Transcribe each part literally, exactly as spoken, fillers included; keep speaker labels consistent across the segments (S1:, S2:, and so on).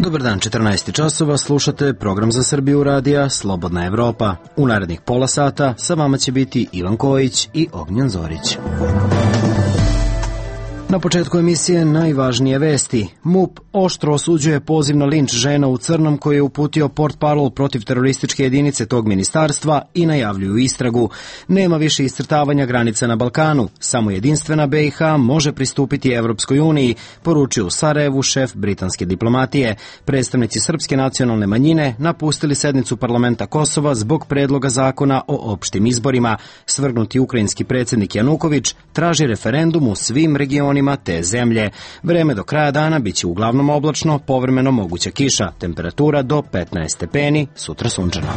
S1: Dobar dan, četrnaest časova, slušate program za Srbiju radija Slobodna Evropa. U narednih pola sata sa vama će biti Ivan Kojić i Ognjen Zorić. Na početku emisije najvažnije vesti. MUP oštro osuđuje poziv na linč žena u crnom koji je uputio portparol protiv terorističke jedinice tog ministarstva i najavljuju istragu. Nema više iscrtavanja granica na Balkanu, samo jedinstvena B i H može pristupiti Evropskoj uniji, poručio u Sarajevu šef britanske diplomatije. Predstavnici srpske nacionalne manjine napustili sednicu parlamenta Kosova zbog predloga zakona o opštim izborima. Svrgnuti ukrajinski predsjednik Januković traži referendum u svim regionima te zemlje. Vreme do kraja dana biće uglavnom oblačno, povremeno moguća kiša, temperatura do petnaest stepeni, sutra sunčano.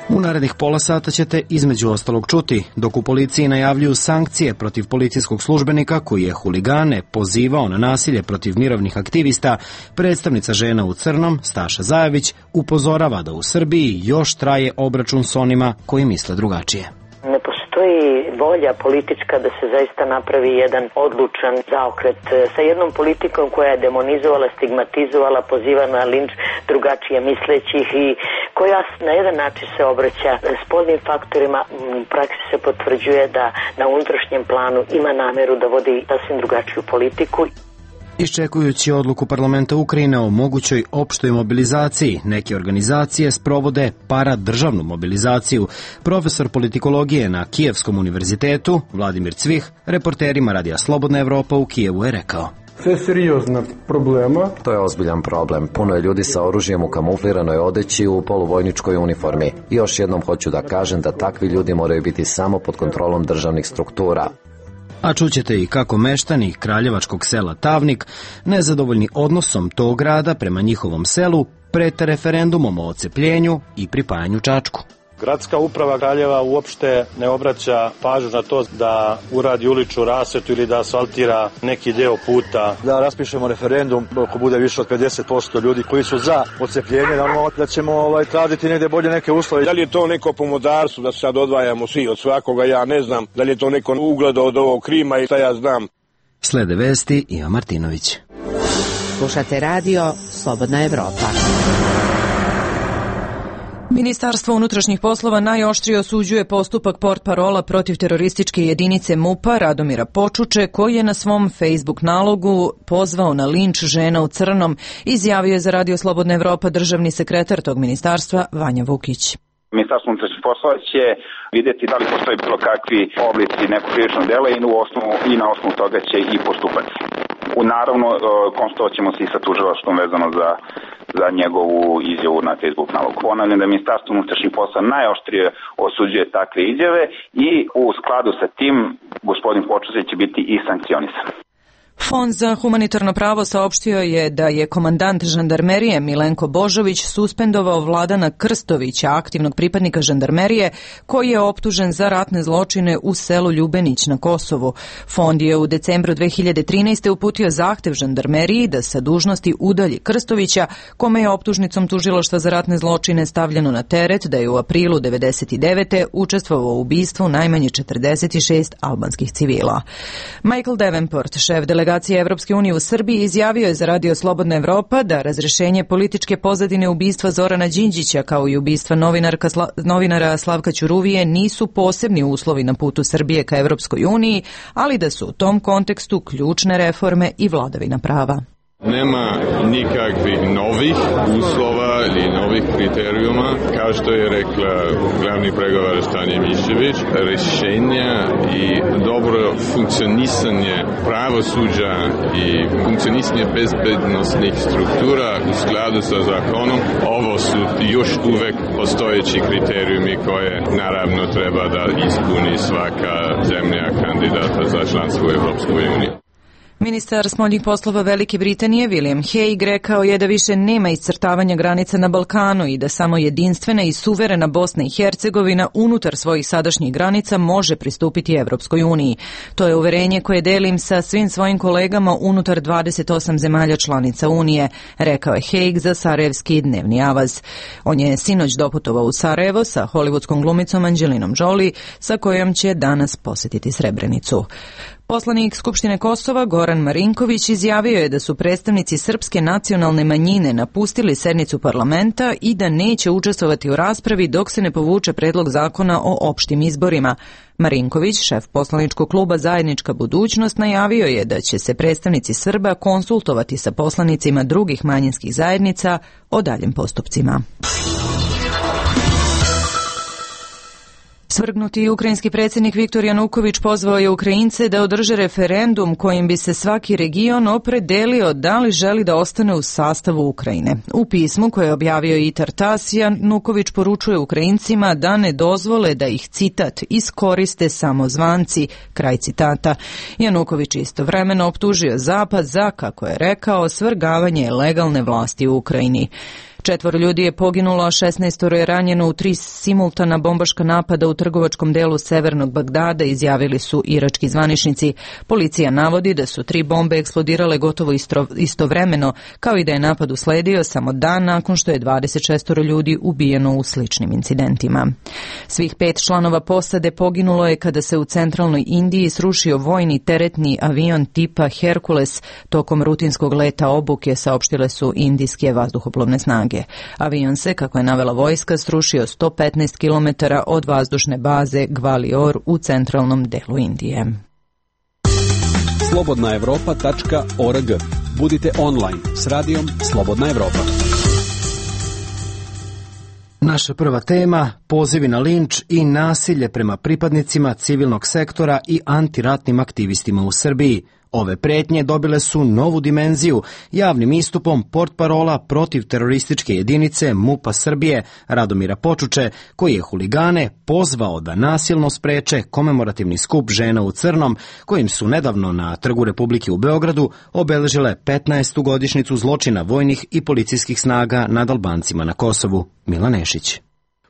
S1: U narednih pola sata ćete između ostalog čuti, dok u policiji najavljuju sankcije protiv policijskog službenika koji je huligane pozivao na nasilje protiv mirovnih aktivista, predstavnica žena u crnom, Staša Zajević, upozorava da u Srbiji još traje obračun s onima koji misle drugačije.
S2: Ne postoji volja politička da se zaista napravi jedan odlučan zaokret sa jednom politikom koja je demonizovala, stigmatizovala, poziva na linč drugačije mislećih i koja na jedan način se obraća spoljnim faktorima. U praksi se potvrđuje da na unutrašnjem planu ima nameru da vodi sasvim drugačiju politiku.
S1: Iščekujući odluku parlamenta Ukrajine o mogućoj opštoj mobilizaciji, neke organizacije sprovode paradržavnu mobilizaciju. Profesor politikologije na Kijevskom univerzitetu, Vladimir Cvih, reporterima Radija Slobodna Evropa u Kijevu je rekao:
S3: To je seriozna problema.
S4: To je ozbiljan problem. Puno je ljudi sa oružjem u kamufliranoj odeći u poluvojničkoj uniformi. I još jednom hoću da kažem da takvi ljudi moraju biti samo pod kontrolom državnih struktura.
S1: A čućete i kako meštani kraljevačkog sela Tavnik, nezadovoljni odnosom tog grada prema njihovom selu, prete referendumom o ocepljenju i pripajanju Čačku.
S5: Gradska uprava Kraljeva uopšte ne obraća pažnju na to da uradi uličnu rasvetu ili da asfaltira neki deo puta.
S6: Da raspišemo referendum, ako bude više od pedeset posto ljudi koji su za ocepljenje, da ćemo ovaj, tražiti negde bolje neke uslove.
S7: Da li je to neko pomodarstvo da sad odvajamo svi od svakoga, ja ne znam. Da li je to neko ugleda od ovog Krima i šta ja znam.
S1: Slede vesti Ivan Martinović.
S8: Slušate radio Slobodna Evropa.
S9: Ministarstvo unutrašnjih poslova najoštrije osuđuje postupak portparola protiv terorističke jedinice MUP-a Radomira Počuče, koji je na svom Facebook nalogu pozvao na linč žena u crnom, izjavio je za Radio Slobodna Evropa državni sekretar tog ministarstva Vanja Vukić.
S10: Ministarstvo unutrašnjih poslova će vidjeti da li postoji bilo kakvi oblici nekog krivičnog dela i, u osnovu, i na osnovu toga će i postupati. U naravno, konsultovat ćemo se i sa tužilaštvom vezano za, za njegovu izjavu na Facebook nalogu. Ponavljam da Ministarstvo unutrašnjih poslova najoštrije osuđuje takve izjave i u skladu sa tim gospodin Počuče će biti i sankcionisan.
S9: Fond za humanitarno pravo saopštio je da je komandant žandarmerije Milenko Božović suspendovao Vladana Krstovića, aktivnog pripadnika žandarmerije, koji je optužen za ratne zločine u selu Ljubenić na Kosovu. Fond je u decembru dve hiljade trinaeste. uputio zahtev žandarmeriji da sa dužnosti udalji Krstovića, kome je optužnicom tužilaštva za ratne zločine stavljeno na teret da je u aprilu devedeset devete. učestvovao u ubistvu najmanje četrdeset šest albanskih civila. Michael Davenport, šef delegacije Evropske unije u Srbiji, izjavio je za Radio Slobodna Evropa da razrešenje političke pozadine ubistva Zorana Đinđića kao i ubistva novinarka, novinara Slavka Ćuruvije nisu posebni uslovi na putu Srbije ka Evropskoj uniji, ali da su u tom kontekstu ključne reforme i vladavina prava.
S11: Nema nikakvih novih uslova ili novih kriterijuma, kao što je rekla glavni pregovarač Tanja Mišević. Rešenja i dobro funkcionisanje pravosuđa i funkcionisanje bezbednostnih struktura u skladu sa zakonom, ovo su još uvek postojeći kriterijumi koje naravno treba da ispuni svaka zemlja kandidata za članstvo u Evropskoj uniji.
S9: Ministar spoljnih poslova Velike Britanije William Hague rekao je da više nema iscrtavanja granica na Balkanu i da samo jedinstvena i suverena Bosna i Hercegovina unutar svojih sadašnjih granica može pristupiti Evropskoj uniji. To je uverenje koje delim sa svim svojim kolegama unutar dvadeset osam zemalja članica Unije, rekao je Hague za sarajevski dnevni avaz. On je sinoć doputovao u Sarajevo sa hollywoodskom glumicom Angelinom Jolie, sa kojom će danas posetiti Srebrenicu. Poslanik Skupštine Kosova Goran Marinković izjavio je da su predstavnici srpske nacionalne manjine napustili sednicu parlamenta i da neće učestvovati u raspravi dok se ne povuče predlog zakona o opštim izborima. Marinković, šef poslaničkog kluba Zajednička budućnost, najavio je da će se predstavnici Srba konsultovati sa poslanicima drugih manjinskih zajednica o daljim postupcima. Svrgnuti ukrajinski predsjednik Viktor Januković pozvao je Ukrajince da održe referendum kojim bi se svaki region opredelio da li želi da ostane u sastavu Ukrajine. U pismu koje je objavio i Tartas, Januković poručuje Ukrajincima da ne dozvole da ih, citat, iskoriste samozvanci, kraj citata. Januković istovremeno optužio Zapad za, kako je rekao, svrgavanje legalne vlasti u Ukrajini. Četvoro ljudi je poginulo, a šesnaestoro je ranjeno u tri simultana bombaška napada u trgovačkom delu severnog Bagdada, izjavili su irački zvaničnici. Policija navodi da su tri bombe eksplodirale gotovo istro, istovremeno, kao i da je napad usledio samo dan nakon što je dvadeset šest ljudi ubijeno u sličnim incidentima. Svih pet članova posade poginulo je kada se u centralnoj Indiji srušio vojni teretni avion tipa Hercules tokom rutinskog leta obuke, saopštile su indijske vazduhoplovne snage. Avion se, kako je navela vojska, srušio sto petnaest kilometara od vazdušne baze Gwalior u centralnom delu Indije.
S12: slobodna evropa tačka org. Budite online s radijom Slobodna Evropa.
S1: Naša prva tema, pozivi na linč i nasilje prema pripadnicima civilnog sektora i antiratnim aktivistima u Srbiji. Ove pretnje dobile su novu dimenziju javnim istupom portparola protiv terorističke jedinice MUP-a Srbije Radomira Počuče, koji je huligane pozvao da nasilno spreče komemorativni skup žena u crnom, kojim su nedavno na Trgu Republike u Beogradu obeležile petnaestu godišnjicu zločina vojnih i policijskih snaga nad Albancima na Kosovu. Milan Nešić.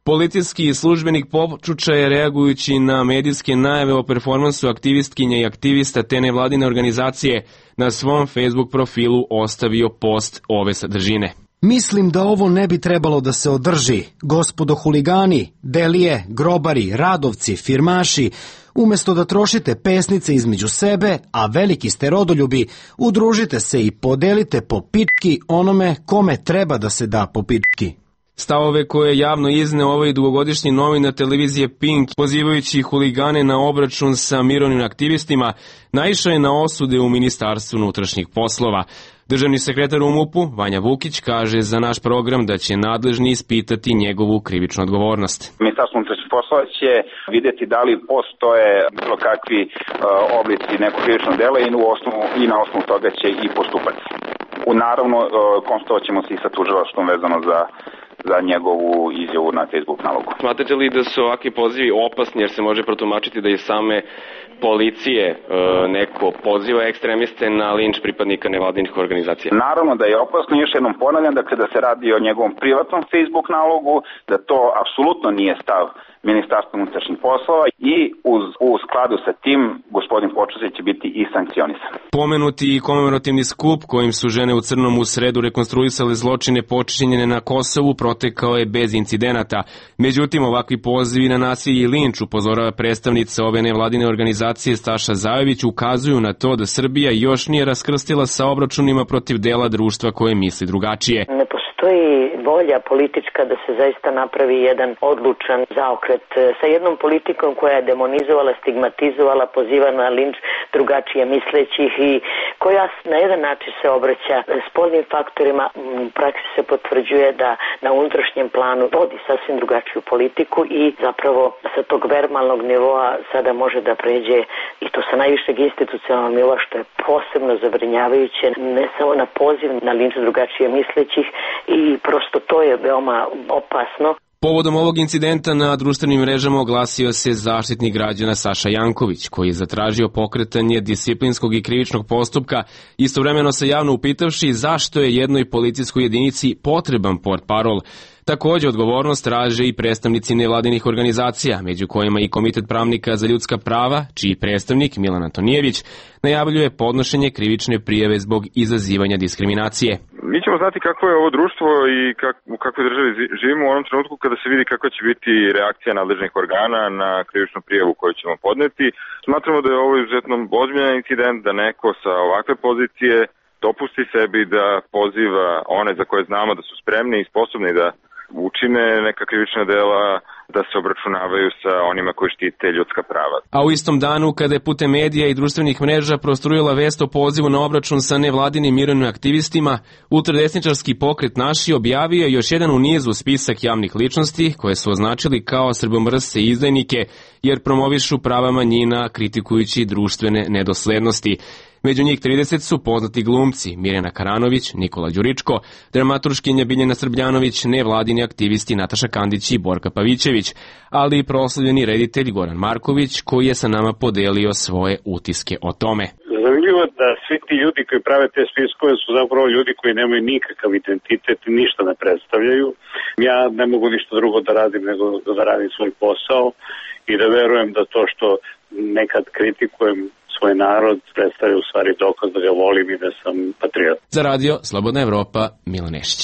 S13: Policijski službenik Počuča je, reagujući na medijske najave o performansu aktivistkinja i aktivista te nevladine organizacije, na svom Facebook profilu ostavio post ove sadržine.
S1: Mislim da ovo ne bi trebalo da se održi. Gospodo huligani, delije, grobari, radovci, firmaši, umesto da trošite pesnice između sebe, a veliki ste rodoljubi, udružite se i podelite po pički onome kome treba da se da po pički.
S13: Stavove koje je javno izneo ovaj dugogodišnji novinar televizije Pink, pozivajući huligane na obračun sa mirovnim aktivistima, naišao je na osude u Ministarstvu unutrašnjih poslova. Državni sekretar u MUP-u, Vanja Vukić, kaže za naš program da će nadležni ispitati njegovu krivičnu odgovornost.
S10: Ministarstvo unutrašnjih poslova će vidjeti da li postoje bilo kakvi uh, oblici nekog krivičnog dela i, u osnovu, i na osnovu toga će i postupati. U naravno, uh, konsultovat ćemo se i sa tužilaštvom vezano za za njegovu izjavu na Facebook nalogu.
S14: Smatrate li da su ovakvi pozivi opasni jer se može protumačiti da je same policije e, neko poziva ekstremiste na linč pripadnika nevladinih organizacija?
S10: Naravno da je opasno, još jednom ponavljam, dakle da se radi o njegovom privatnom Facebook nalogu, da to apsolutno nije stav Ministarstva unutrašnjih poslova i uz, u skladu sa tim gospodin Počuče će biti i sankcionisan.
S13: Pomenuti i komemorativni skup kojim su žene u crnom u sredu rekonstruisale zločine počinjene na Kosovu protekao je bez incidenata. Međutim, ovakvi pozivi na nasilje i linč, upozorava predstavnica ove nevladine organizacije Staša Zajović, ukazuju na to da Srbija još nije raskrstila sa obračunima protiv dela društva koje misli drugačije.
S2: Ne postoji volja politička da se zaista napravi jedan odlučan zaokret sa jednom politikom koja je demonizovala, stigmatizovala, poziva na linč drugačije mislećih i koja na jedan način se obraća spoljnim faktorima. U praksi se potvrđuje da na unutrašnjem planu vodi sasvim drugačiju politiku i zapravo sa tog verbalnog nivoa sada može da pređe i to sa najvišeg institucionalnog nivoa, što je posebno zabrinjavajuće, ne samo na poziv na linč drugačije mislećih i prosto to je veoma opasno.
S13: Povodom ovog incidenta na društvenim mrežama oglasio se zaštitnik građana Saša Janković, koji je zatražio pokretanje disciplinskog i krivičnog postupka, istovremeno se javno upitavši zašto je jednoj policijskoj jedinici potreban portparol. Takođe, odgovornost traže i predstavnici nevladinih organizacija, među kojima i Komitet pravnika za ljudska prava, čiji predstavnik Milan Antonijević najavljuje podnošenje krivične prijave zbog izazivanja diskriminacije.
S15: Mi ćemo znati kakvo je ovo društvo i kak, u kakvoj državi živimo u onom trenutku kada se vidi kakva će biti reakcija nadležnih organa na krivičnu prijavu koju ćemo podneti. Smatramo da je ovo izuzetno ozbiljan incident, da neko sa ovakve pozicije dopusti sebi da poziva one za koje znamo da su spremni i sposobni da učine neka krivična dela, da se obračunavaju sa onima koji štite ljudska prava.
S13: A u istom danu, kada je putem medija i društvenih mreža prostrujila vest o pozivu na obračun sa nevladinim mirovnim aktivistima, ultradesničarski pokret Naši objavio je još jedan u nizu spisak javnih ličnosti koje su označili kao srbomrsce i izdajnike, jer promovišu prava manjina kritikujući društvene nedoslednosti. Među njih trideset su poznati glumci Mirjana Karanović, Nikola Đuričko, dramaturškinja Biljana Srbljanović, nevladini aktivisti Nataša Kandić i Borka Pavićević, ali i proslavljeni reditelj Goran Marković, koji je sa nama podelio svoje utiske o tome.
S16: Zanimljivo da svi ti ljudi koji prave te spiskove su zapravo ljudi koji nemaju nikakav identitet i ništa ne predstavljaju. Ja ne mogu ništa drugo da radim nego da radim svoj posao i da verujem da to što nekad kritikujem svoj narod predstavlja u stvari dokaz da ga volim i da sam patriot.
S13: Za radio Slobodna Evropa, Milan Nešić.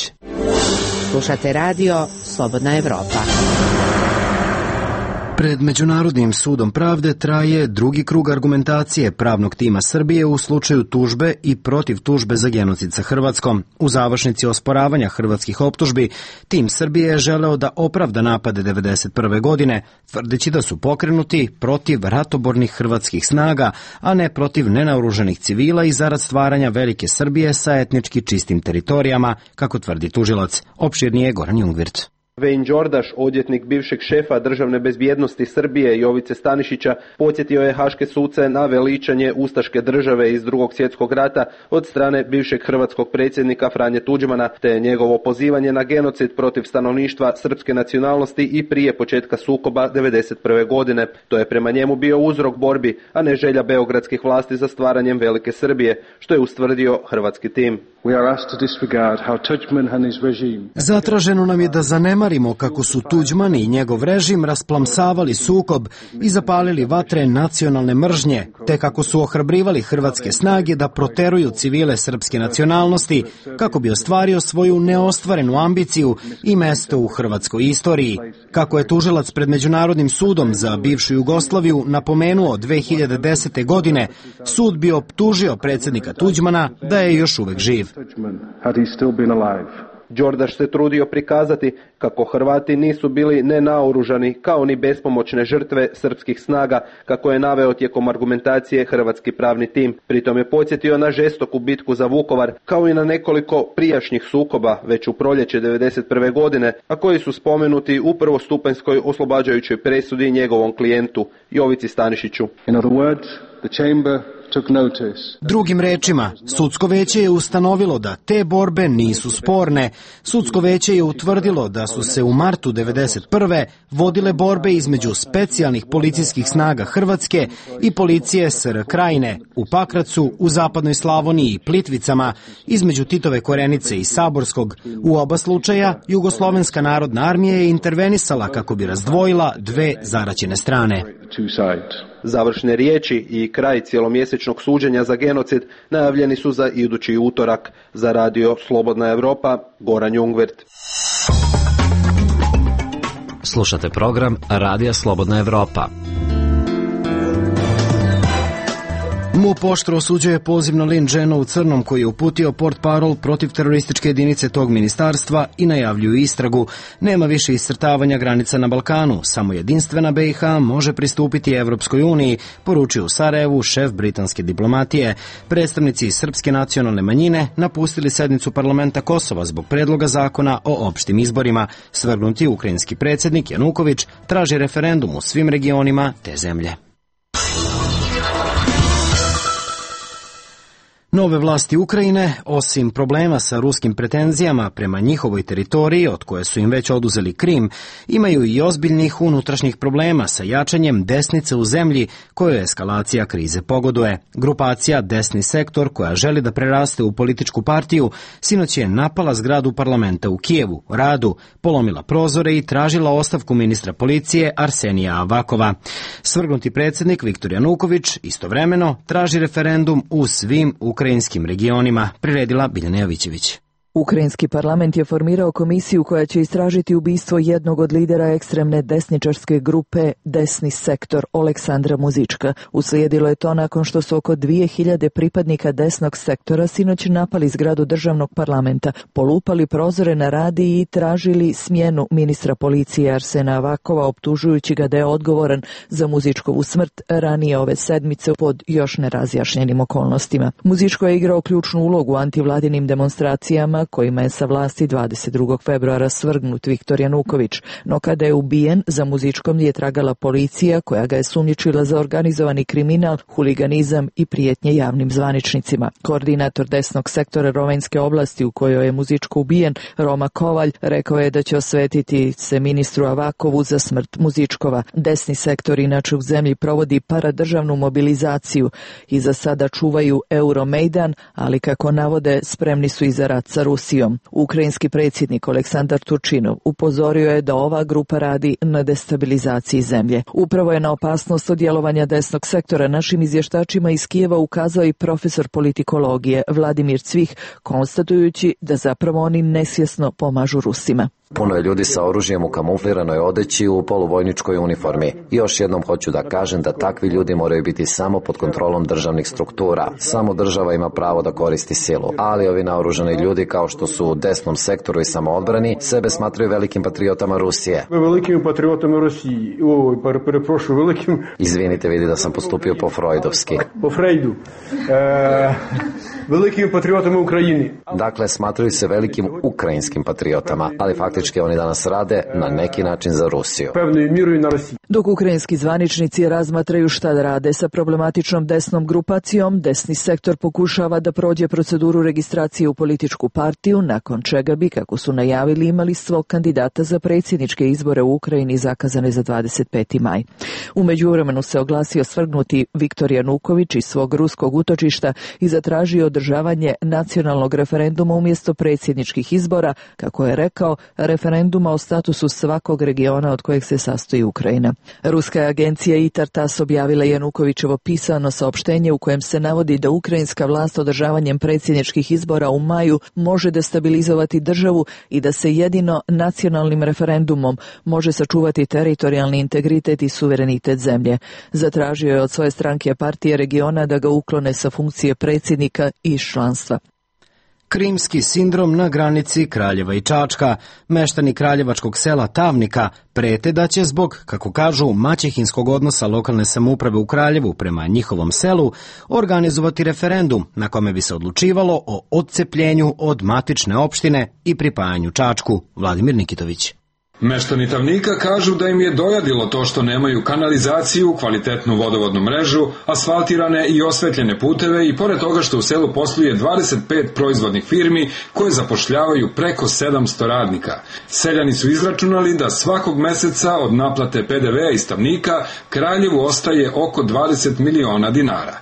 S8: Slušate radio Slobodna Evropa.
S1: Pred Međunarodnim sudom pravde traje drugi krug argumentacije pravnog tima Srbije u slučaju tužbe i protiv tužbe za genocid sa Hrvatskom. U završnici osporavanja hrvatskih optužbi, tim Srbije je želeo da opravda napade devedeset prve godine, tvrdeći da su pokrenuti protiv ratobornih hrvatskih snaga, a ne protiv nenaoružanih civila i zarad stvaranja velike Srbije sa etnički čistim teritorijama, kako tvrdi tužilac. Opširnije Goran Jungvirt.
S17: Vejn Đordaš, odvjetnik bivšeg šefa državne bezbjednosti Srbije Jovice Stanišića, podsjetio je haške suce na veličanje ustaške države iz Drugog svjetskog rata od strane bivšeg hrvatskog predsjednika Franje Tuđmana, te njegovo pozivanje na genocid protiv stanovništva srpske nacionalnosti i prije početka sukoba devedeset prve godine. To je prema njemu bio uzrok borbi, a ne želja beogradskih vlasti za stvaranjem velike Srbije, što je ustvrdio hrvatski tim.
S1: Zatraženo nam je da zanemarimo kako su Tuđman i njegov režim rasplamsavali sukob i zapalili vatre nacionalne mržnje, te kako su ohrabrivali hrvatske snage da proteruju civile srpske nacionalnosti kako bi ostvario svoju neostvarenu ambiciju i mesto u hrvatskoj istoriji. Kako je tužilac pred Međunarodnim sudom za bivšu Jugoslaviju napomenuo dve hiljade desete. godine, sud bi optužio predsjednika Tuđmana da je još uvek živ.
S17: Đordaš se trudio prikazati kako Hrvati nisu bili nenaoružani kao ni bespomoćne žrtve srpskih snaga, kako je naveo tijekom argumentacije hrvatski pravni tim. Pritom je podsjetio na žestoku bitku za Vukovar, kao i na nekoliko prijašnjih sukoba već u proljeće devedeset prve. godine, a koji su spomenuti u prvostupanjskoj oslobađajućoj presudi njegovom klijentu Jovici Stanišiću.
S1: In other words, the chamber Drugim rečima, sudsko veće je ustanovilo da te borbe nisu sporne. Sudsko veće je utvrdilo da su se u martu devedeset prve. vodile borbe između specijalnih policijskih snaga Hrvatske i policije S R Krajine u Pakracu, u zapadnoj Slavoniji i Plitvicama, između Titove Korenice i Saborskog. U oba slučaja Jugoslovenska narodna armija je intervenisala kako bi razdvojila dve zaraćene strane.
S17: Završne riječi i kraj cijelomjesečnog suđenja za genocid najavljeni su za idući utorak. Za radio Slobodna Evropa, Goran Jungvirt.
S4: Slušate program Radija Slobodna Evropa.
S1: MUP oštro osuđuje poziv na linč žena u crnom koji je uputio portparol protiv terorističke jedinice tog ministarstva i najavljuju istragu. Nema više iscrtavanja granica na Balkanu, samo jedinstvena B i H može pristupiti Evropskoj uniji, poručio u Sarajevu šef britanske diplomatije. Predstavnici srpske nacionalne manjine napustili sednicu parlamenta Kosova zbog predloga zakona o opštim izborima. Svrgnuti ukrajinski predsjednik Januković traži referendum u svim regionima te zemlje. Nove vlasti Ukrajine, osim problema sa ruskim pretenzijama prema njihovoj teritoriji, od koje su im već oduzeli Krim, imaju i ozbiljnih unutrašnjih problema sa jačanjem desnice u zemlji kojoj eskalacija krize pogoduje. Grupacija Desni sektor, koja želi da preraste u političku partiju, sinoć je napala zgradu parlamenta u Kijevu, Radu, polomila prozore i tražila ostavku ministra policije Arsenija Avakova. Svrgnuti predsjednik Viktor Januković istovremeno traži referendum u svim ukrajinskim regionima, priredila Biljana Jovićević.
S18: Ukrajinski parlament je formirao komisiju koja će istražiti ubistvo jednog od lidera ekstremne desničarske grupe Desni sektor Oleksandra Muzička. Uslijedilo je to nakon što su oko dvije hiljade pripadnika desnog sektora sinoć napali zgradu državnog parlamenta, polupali prozore na radiji i tražili smjenu ministra policije Arsena Avakova, optužujući ga da je odgovoran za Muzičkovu smrt ranije ove sedmice pod još nerazjašnjenim okolnostima. Muzičko je igrao ključnu ulogu u antivladinim demonstracijama kojima je sa vlasti dvadeset drugog februara svrgnut Viktor Januković, no kada je ubijen, za Muzičkom je tragala policija koja ga je sumnjičila za organizovani kriminal, huliganizam i prijetnje javnim zvaničnicima. Koordinator desnog sektora Rovinjske oblasti u kojoj je Muzičko ubijen, Roma Kovalj, rekao je da će osvetiti se ministru Avakovu za smrt Muzičkova. Desni sektor inače u zemlji provodi paradržavnu mobilizaciju i za sada čuvaju Euromejdan, ali kako navode spremni su i za rat sa Rusijom. Ukrajinski predsjednik Aleksandar Turčinov upozorio je da ova grupa radi na destabilizaciji zemlje. Upravo je na opasnost od djelovanja desnog sektora našim izvještačima iz Kijeva ukazao i profesor politikologije Vladimir Cvih, konstatujući da zapravo oni nesvjesno pomažu Rusima.
S4: Puno je ljudi sa oružjem u kamufliranoj odeći u poluvojničkoj uniformi. I još jednom hoću da kažem da takvi ljudi moraju biti samo pod kontrolom državnih struktura. Samo država ima pravo da koristi silu. Ali ovi naoružani ljudi, kao što su u desnom sektoru i samoodbrani, sebe smatraju velikim patriotama Rusije.
S3: Velikim patriotama Rusiji. Oj, preprošu, velikim...
S4: Izvinite, vidi da sam postupio po Freudovski.
S3: Po Freudu. E... Velikim patriotama Ukrajini.
S4: Dakle, smatraju se velikim ukrajinskim patriotama, ali faktički oni danas rade na neki način za Rusiju.
S18: Dok ukrajinski zvaničnici razmatraju šta da rade sa problematičnom desnom grupacijom, desni sektor pokušava da prođe proceduru registracije u političku partiju, nakon čega bi, kako su najavili, imali svog kandidata za predsjedničke izbore u Ukrajini zakazane za dvadeset peti maj. U međuvremenu se oglasio svrgnuti Viktor Januković iz svog ruskog utočišta i zatražio održavanje nacionalnog referenduma umjesto predsjedničkih izbora, kako je rekao, referenduma o statusu svakog regiona od kojeg se sastoji Ukrajina. Ruska agencija I T A R TASS objavila Janukovićevo pisano saopštenje u kojem se navodi da ukrajinska vlast održavanjem predsjedničkih izbora u maju može destabilizovati državu i da se jedino nacionalnim referendumom može sačuvati teritorijalni integritet i suverenitet zemlje. Zatražio je od svoje stranke partije regiona da ga uklone sa funkcije predsjednika i iz članstva.
S1: Krimski sindrom na granici Kraljeva i Čačka. Meštani kraljevačkog sela Tavnika prete da će zbog, kako kažu, maćehinskog odnosa lokalne samouprave u Kraljevu prema njihovom selu organizovati referendum na kome bi se odlučivalo o odcepljenju od matične opštine i pripajanju Čačku. Vladimir Nikitović.
S19: Meštani Tavnika kažu da im je dojadilo to što nemaju kanalizaciju, kvalitetnu vodovodnu mrežu, asfaltirane i osvetljene puteve i pored toga što u selu posluje dvadeset pet proizvodnih firmi koje zapošljavaju preko sedamsto radnika. Seljani su izračunali da svakog meseca od naplate P D V-a iz Tavnika Kraljevu ostaje oko dvadeset miliona dinara.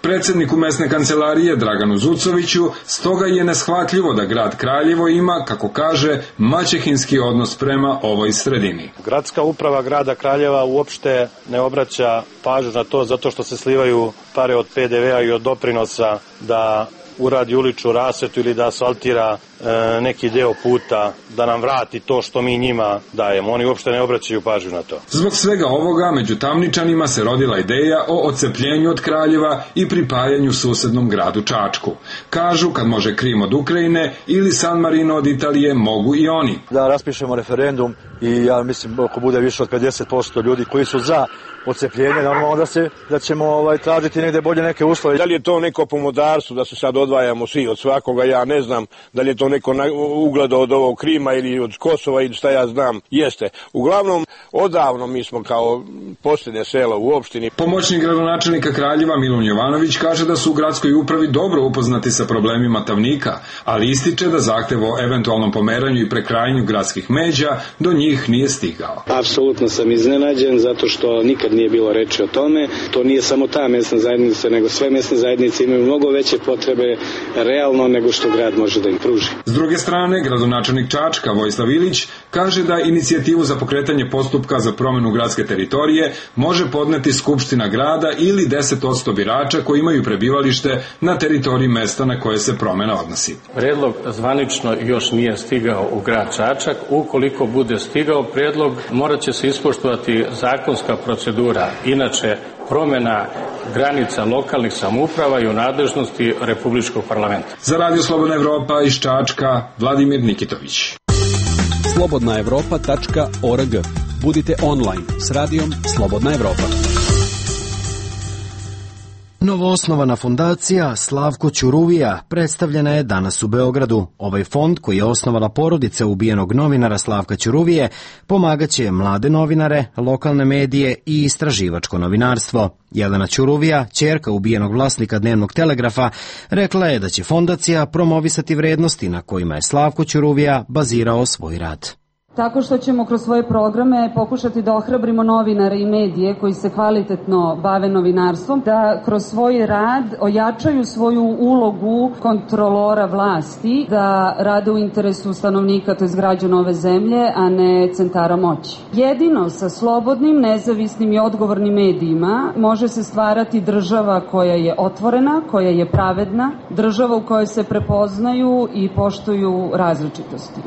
S19: Predsjedniku mesne kancelarije Draganu Zucoviću stoga je neshvatljivo da grad Kraljevo ima, kako kaže, maćehinski odnos prema ovoj sredini.
S5: Gradska uprava grada Kraljeva uopšte ne obraća pažnju na to zato što se slivaju pare od P D V-a i od doprinosa da uradi uličnu rasvetu ili da asfaltira e, neki deo puta, da nam vrati to što mi njima dajemo. Oni uopšte ne obraćaju pažnju na to.
S19: Zbog svega ovoga među Tavničanima se rodila ideja o odcepljenju od Kraljeva i pripajanju susednom gradu Čačku. Kažu, kad može Krim od Ukrajine ili San Marino od Italije, mogu i oni.
S6: Da raspišemo referendum i ja mislim ako bude više od pedeset posto ljudi koji su za odcepljenje, normalno da, se, da ćemo ovaj, tražiti negde bolje neke uslove.
S7: Da li je to neko pomodarstvo da se sad odvajamo svi od svakoga, ja ne znam, da li je to neko ugleda od ovog Krima ili od Kosova ili šta ja znam, jeste. Uglavnom, odavno mi smo kao posljednje selo u opštini.
S19: Pomoćnik gradonačelnika Kraljeva Milun Jovanović kaže da su u gradskoj upravi dobro upoznati sa problemima Tavnika, ali ističe da zahtev o eventualnom pomeranju i prekrajanju gradskih međa do njih nije stigao.
S20: Apsolutno sam iznenađen zato što nikad nije bilo reči o tome. To nije samo ta mesna zajednica, nego sve mesne zajednice imaju mnogo veće potrebe realno nego što grad može da im pruži.
S19: S druge strane, gradonačelnik Čačka Vojislav Ilić kaže da inicijativu za pokretanje postupka za promenu gradske teritorije može podneti Skupština grada ili deset posto birača koji imaju prebivalište na teritoriji mesta na koje se promena odnosi.
S21: Predlog zvanično još nije stigao u grad Čačak. Ukoliko bude stigao predlog, morat će se ispoštovati zakonska procedura. Inače, promena granica lokalnih samouprava i u nadležnosti Republičkog parlamenta.
S19: Za Radio Slobodna Evropa iz Čačka, Vladimir Nikitović.
S12: slobodna evropa tačka org. Budite online s radijom Slobodna Evropa.
S1: Novoosnovana fondacija Slavko Ćuruvija predstavljena je danas u Beogradu. Ovaj fond, koji je osnovala porodica ubijenog novinara Slavka Ćuruvije, pomagaće mlade novinare, lokalne medije i istraživačko novinarstvo. Jelena Ćuruvija, ćerka ubijenog vlasnika Dnevnog telegrafa, rekla je da će fondacija promovisati vrednosti na kojima je Slavko Ćuruvija bazirao svoj rad.
S22: Tako što ćemo kroz svoje programe pokušati da ohrabrimo novinare i medije koji se kvalitetno bave novinarstvom, da kroz svoj rad ojačaju svoju ulogu kontrolora vlasti, da rade u interesu stanovnika, to je građana ove zemlje, a ne centara moći. Jedino sa slobodnim, nezavisnim i odgovornim medijima može se stvarati država koja je otvorena, koja je pravedna, država u kojoj se prepoznaju i poštuju različitosti.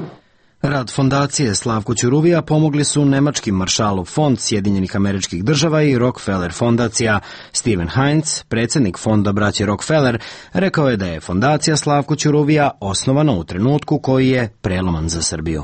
S1: Rad fondacije Slavko Ćuruvija pomogli su nemački Maršalov fond Sjedinjenih Američkih Država i Rockefeller fondacija. Steven Heinz, predsjednik fonda braće Rockefeller, rekao je da je fondacija Slavko Ćuruvija osnovana u trenutku koji je preloman za Srbiju.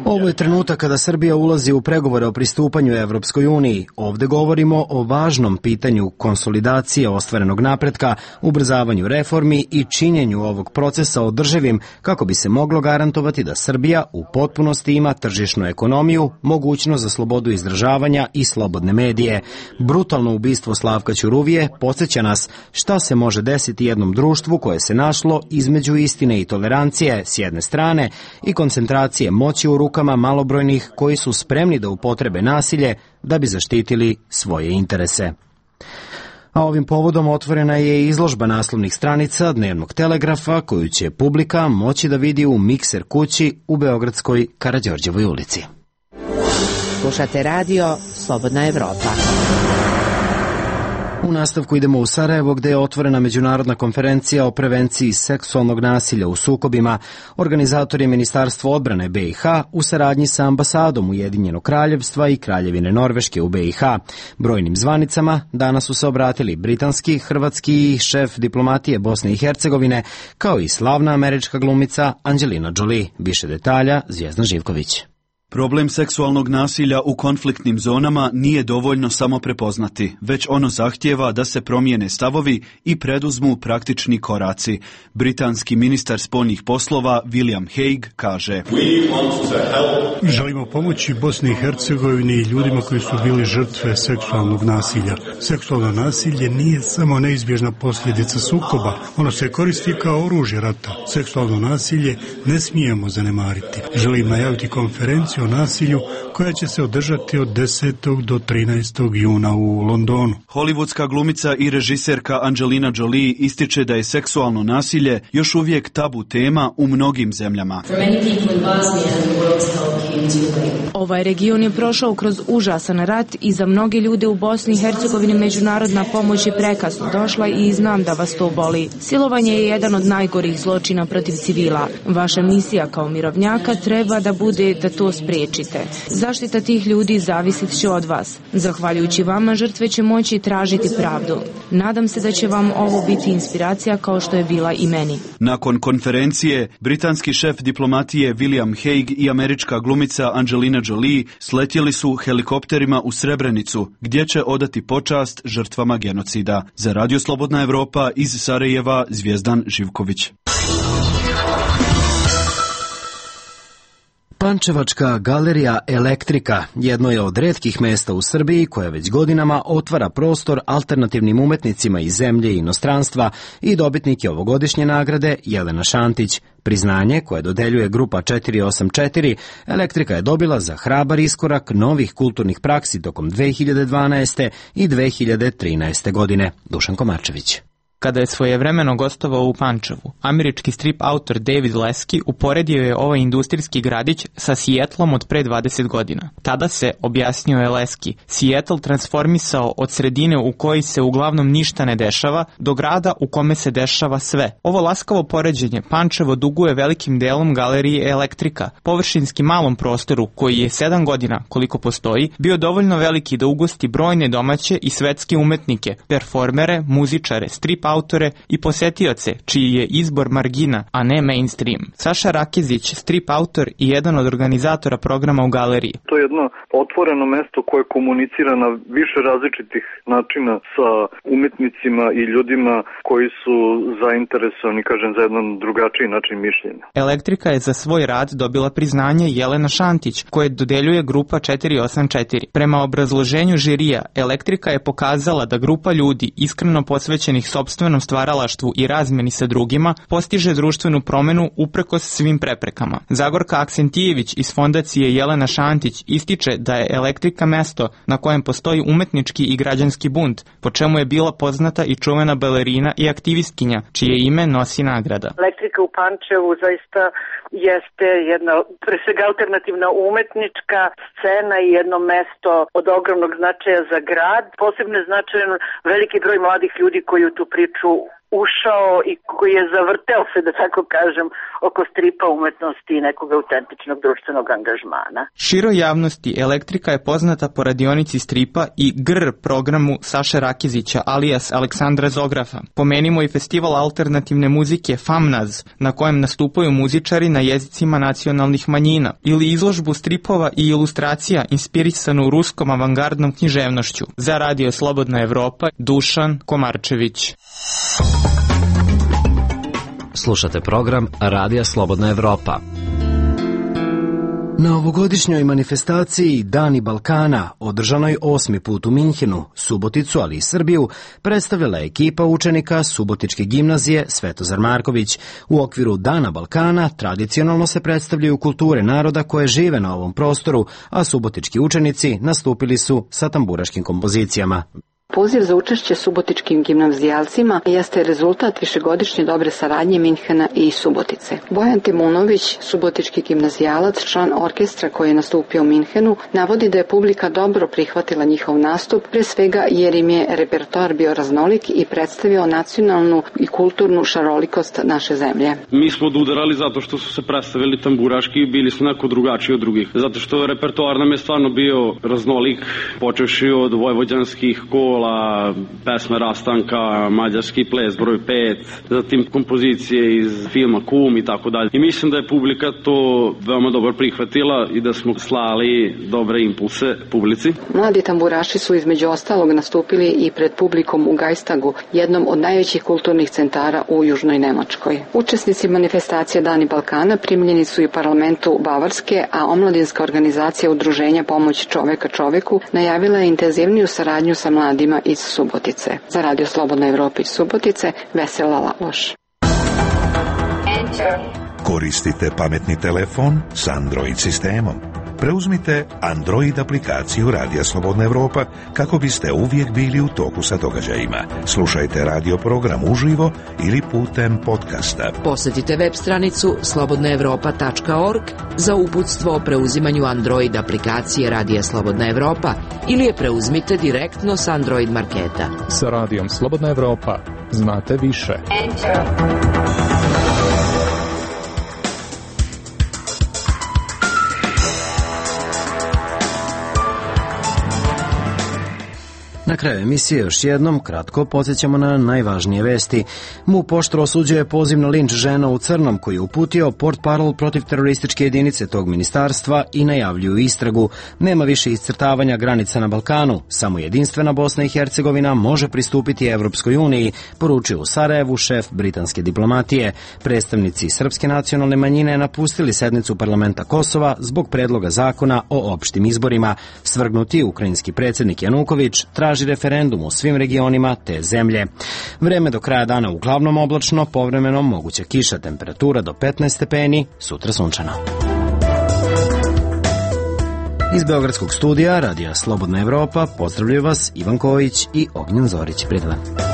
S1: Ovo je trenutak kada Srbija ulazi u pregovore o pristupanju Evropskoj uniji. Ovde govorimo o važnom pitanju konsolidacije ostvarenog napretka, ubrzavanju reformi i činjenju ovog procesa održivim kako bi se moglo garantovati da Srbija u potpunosti ima tržišnu ekonomiju, mogućnost za slobodu izražavanja i slobodne medije. Brutalno ubistvo Slavka Ćuruvije podsjeća nas šta se može desiti jednom društvu koje se našlo između istine i tolerancije s jedne strane i koncentracije moći u rukama malobrojnih koji su spremni da upotrebe nasilje da bi zaštitili svoje interese. A ovim povodom otvorena je izložba naslovnih stranica Dnevnog telegrafa koju će publika moći da vidi u Mikser kući u beogradskoj Karađorđevoj ulici.
S8: Slušate radio Slobodna Evropa.
S1: U nastavku idemo u Sarajevo gde je otvorena međunarodna konferencija o prevenciji seksualnog nasilja u sukobima. Organizator je Ministarstvo odbrane B i H u saradnji sa ambasadom Ujedinjenog kraljevstva i Kraljevine Norveške u B i H. Brojnim zvanicama danas su se obratili britanski, hrvatski i šef diplomatije Bosne i Hercegovine, kao i slavna američka glumica Angelina Jolie. Više detalja Zvijezdan Živković.
S23: Problem seksualnog nasilja u konfliktnim zonama nije dovoljno samo prepoznati, već ono zahtijeva da se promijene stavovi i preduzmu praktični koraci. Britanski ministar spoljnih poslova William Hague kaže:
S24: Želimo pomoći Bosni i Hercegovini i ljudima koji su bili žrtve seksualnog nasilja. Seksualno nasilje nije samo neizbježna posljedica sukoba, ono se koristi kao oružje rata. Seksualno nasilje ne smijemo zanemariti. Želim najaviti konferenciju o nasilju koja će se održati od desetog do trinaestog juna u Londonu.
S23: Hollywoodska glumica i režiserka Angelina Jolie ističe da je seksualno nasilje još uvijek tabu tema u mnogim zemljama.
S25: Ovaj region je prošao kroz užasan rat i za mnoge ljude u Bosni i Hercegovini međunarodna pomoć je prekasno došla i znam da vas to boli. Silovanje je jedan od najgorih zločina protiv civila. Vaša misija kao mirovnjaka treba da bude da to spriječite. Zaštita tih ljudi zavisit će od vas. Zahvaljujući vama žrtve će moći tražiti pravdu. Nadam se da će vam ovo biti inspiracija kao što je bila i meni.
S23: Nakon konferencije, britanski šef diplomatije William Hague i američka glumica Angelina Jolie sletjeli su helikopterima u Srebrenicu, gdje će odati počast žrtvama genocida. Za Radio Slobodna Evropa iz Sarajeva, Zvijezdan Živković.
S1: Pančevačka galerija Elektrika jedno je od retkih mesta u Srbiji koja već godinama otvara prostor alternativnim umetnicima iz zemlje i inostranstva i dobitnik je ovogodišnje nagrade Jelena Šantić. Priznanje koje dodeljuje grupa četiri osam četiri Elektrika je dobila za hrabar iskorak novih kulturnih praksi tokom dve hiljade dvanaeste i dve hiljade trinaeste godine. Dušan Komarčević.
S2: Kada je svojevremeno gostovao u Pančevu, američki strip autor David Leski uporedio je ovaj industrijski gradić sa Seattlom od pre dvadeset godina. Tada se, objasnio je Leski, Seattle transformisao od sredine u kojoj se uglavnom ništa ne dešava do grada u kome se dešava sve. Ovo laskavo poređenje Pančevo duguje velikim delom galeriji Elektrika, površinski malom prostoru koji je sedam godina, koliko postoji, bio dovoljno veliki da ugosti brojne domaće i svetske umetnike, performere, muzičare, strip autore i posetioce, čiji je izbor margina, a ne mainstream. Saša Rakezić, strip autor i jedan od organizatora programa u galeriji.
S9: To je jedno otvoreno mesto koje komunicira na više različitih načina sa umetnicima i ljudima koji su zainteresovani, kažem, za jedan drugačiji način mišljenja.
S2: Elektrika je za svoj rad dobila priznanje Jelena Šantić, koje dodeljuje grupa četiri osam četiri. Prema obrazloženju žirija, Elektrika je pokazala da grupa ljudi iskreno posvećenih sopstvenom stvaralaštvu i razmeni sa drugima postiže društvenu promenu uprkos svim preprekama. Zagorka Aksentijević iz fondacije Jelena Šantić ističe da je Elektrika mesto na kojem postoji umetnički i građanski bunt, po čemu je bila poznata i čuvena balerina i aktivistkinja, čije ime nosi nagrada.
S10: Elektrika u Pančevu zaista jeste jedna, pre svega, alternativna umetnička scena i jedno mesto od ogromnog značaja za grad. Posebno je značajan veliki broj mladih ljudi koji u tu priču ušao i koji je zavrteo se, da tako kažem, oko stripa umetnosti i nekog autentičnog društvenog angažmana.
S2: Široj javnosti Elektrika je poznata po radionici stripa i G R programu Saše Rakezića alias Aleksandra Zografa. Pomenimo i festival alternativne muzike Famnaz, na kojem nastupaju muzičari na jezicima nacionalnih manjina, ili izložbu stripova i ilustracija inspirisanu ruskom avangardnom književnošću. Za Radio Slobodna Evropa, Dušan Komarčević.
S4: Slušate program Radija Slobodna Evropa.
S1: Na ovogodišnjoj manifestaciji Dani Balkana, održanoj osmi put u Minhenu, Suboticu, ali i Srbiju, predstavljala je ekipa učenika Subotičke gimnazije Svetozar Marković. U okviru Dana Balkana tradicionalno se predstavljaju kulture naroda koje žive na ovom prostoru, a subotički učenici nastupili su sa tamburaškim kompozicijama.
S11: Poziv za učešće subotičkim gimnazijalcima jeste rezultat višegodišnje dobre saradnje Minhena i Subotice. Bojan Timunović, subotički gimnazijalac, član orkestra koji je nastupio u Minhenu, navodi da je publika dobro prihvatila njihov nastup, pre svega jer im je repertoar bio raznolik i predstavio nacionalnu i kulturnu šarolikost naše zemlje.
S14: Mi smo odudarali zato što su se predstavili tamburaški i bili su neko drugačiji od drugih. Zato što repertoar nam je stvarno bio raznolik, počevši od vojvođanskih kola, pesme Rastanka, mađarski ples broj pet, zatim kompozicije iz filma Kum i tako dalje. I mislim da je publika to veoma dobro prihvatila i da smo slali dobre impulse publici.
S11: Mladi tamburaši su između ostalog nastupili i pred publikom u Gajstagu, jednom od najvećih kulturnih centara u Južnoj Nemačkoj. Učesnici manifestacije Dani Balkana primljeni su i u parlamentu Bavarske, a omladinska organizacija Udruženja Pomoć čoveka čoveku najavila je intenzivniju saradnju sa mladima iz Subotice. Za Radio Slobodna Evropa iz Subotice, Vesela Laloš.
S26: Koristite pametni telefon s Android sistemom. Preuzmite Android aplikaciju Radija Slobodna Evropa kako biste uvijek bili u toku sa događajima. Slušajte radio program uživo ili putem podcasta.
S8: Posjetite web stranicu slobodna evropa tačka org za uputstvo o preuzimanju Android aplikacije Radija Slobodna Evropa ili je preuzmite direktno s Android marketa.
S27: Sa Radijom Slobodna Evropa znate više. Enter.
S1: Na kraju emisije još jednom kratko podsjećamo na najvažnije vesti. MUP oštro osuđuje poziv na linč žena u crnom koji je uputio portparol protiv terorističke jedinice tog ministarstva i najavljuju istragu. Nema više iscrtavanja granica na Balkanu, samo jedinstvena Bosna i Hercegovina može pristupiti Evropskoj uniji, poručio u Sarajevu šef britanske diplomatije. Predstavnici srpske nacionalne manjine napustili sednicu parlamenta Kosova zbog predloga zakona o opštim izborima. Svrgnuti ukrajinski predsjednik Januković traži referendum u svim regionima te zemlje. Vreme do kraja dana uglavnom oblačno, povremeno moguća kiša, temperatura do petnaest stepeni, sutra sunčano. Iz Beogradskog studija Radija Slobodna Evropa pozdravljaju vas Ivan Kojić i Ognjen Zorić. Prijatelj.